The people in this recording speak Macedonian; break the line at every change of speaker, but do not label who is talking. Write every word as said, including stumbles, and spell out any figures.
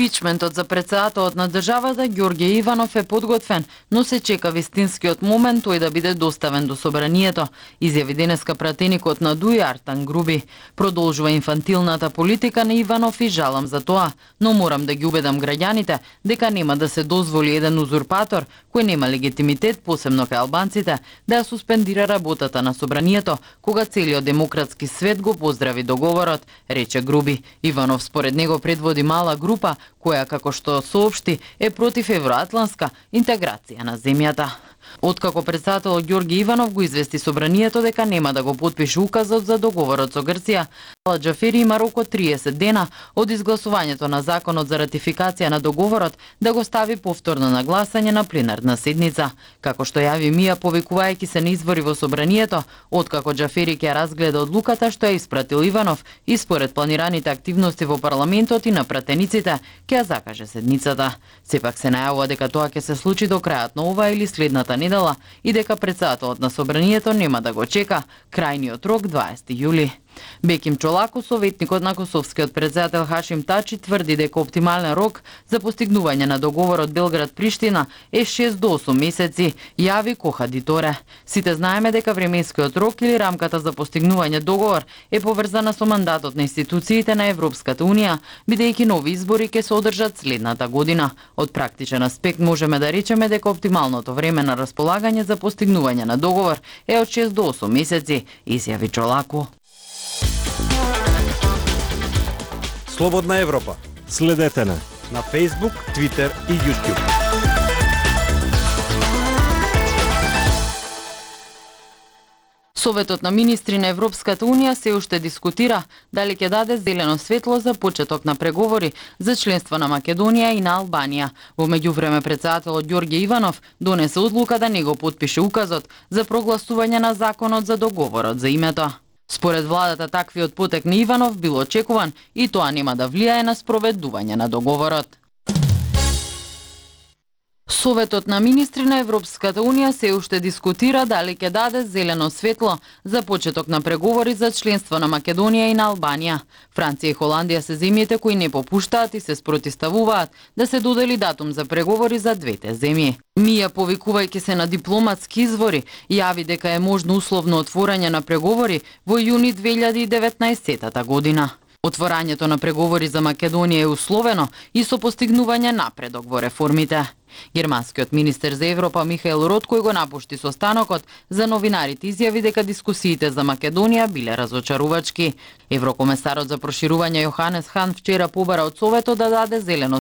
Импичментот за председателот на државата Ѓорѓе Иванов е подготвен, но се чека вистинскиот момент тој да биде доставен до собранието, изјави денеска пратеникот на ДУИ Артан Груби. Продолжува инфантилната политика на Иванов и жалам за тоа, но морам да ги убедам граѓаните дека нема да се дозволи еден узурпатор кој нема легитимитет, посебно кај албанците, да ја суспендира работата на собранието, кога целиот демократски свет го поздрави договорот, рече Груби. Иванов според него предводи мала група која, како што соопшти, е против евроатлантска интеграција на земјата. Откако председателот Ѓорѓе Иванов го извести собранието дека нема да го потпише указот за договорот со Грција, Ала Џафери има рок од триесет дена од изгласувањето на законот за ратификација на договорот да го стави повторно на гласање на пленарна седница. Како што јави МИА, повикувајќи се на избори во собранието, откако Џафери ќе разгледа одлуката што ја испратил Иванов и според планираните активности во парламентот и на пратениците, ќе ја закаже седницата. Сепак се најавува дека тоа ќе се случи до крајот на оваа или следната недела и дека председателот на собранието нема да го чека крајниот рок дваесети јули. Беким Чолако, советникот на косовскиот председател Хашим Тачи, тврди дека оптимален рок за постигнување на договорот Белград-Приштина е шест до осум месеци, јави Коха Диторе. Сите знаеме дека временскиот рок или рамката за постигнување договор е поврзана со мандатот на институциите на Европската Унија, бидејќи нови избори ќе се одржат следната година. Од практичен аспект можеме да речеме дека оптималното време на располагање за постигнување на договор е од шест до осум месеци, изјави Чолако.
Слободна Европа.
Следете на
на Facebook, Twitter и YouTube.
Советот на министри на Европската Унија се уште дискутира дали ќе даде зелено светло за почеток на преговори за членство на Македонија и на Албанија. Во меѓувреме председателот Ѓорѓе Иванов донесе одлука да не го потпише указот за прогласување на законот за договорот за името. Според владата, таквиот потек на Иванов бил очекуван и тоа нема да влијае на спроведување на договорот. Советот на министри на Европската Унија се уште дискутира дали ќе даде зелено светло за почеток на преговори за членство на Македонија и на Албанија. Франција и Холандија се земјите кои не попуштаат и се спротивставуваат да се додели датум за преговори за двете земји. МИА, повикувајќи се на дипломатски извори, јави дека е можно условно отворање на преговори во јуни две илјади и деветнаесетата година. Отворањето на преговори за Македонија е условено и со постигнување напредок во реформите. Германскиот министер за Европа Михаел Роткој го напушти состанокот за новинарите, изјави дека дискусиите за Македонија биле разочарувачки. Еврокомесарот за проширување Јоханес Хан вчера побара од Советот да даде зелено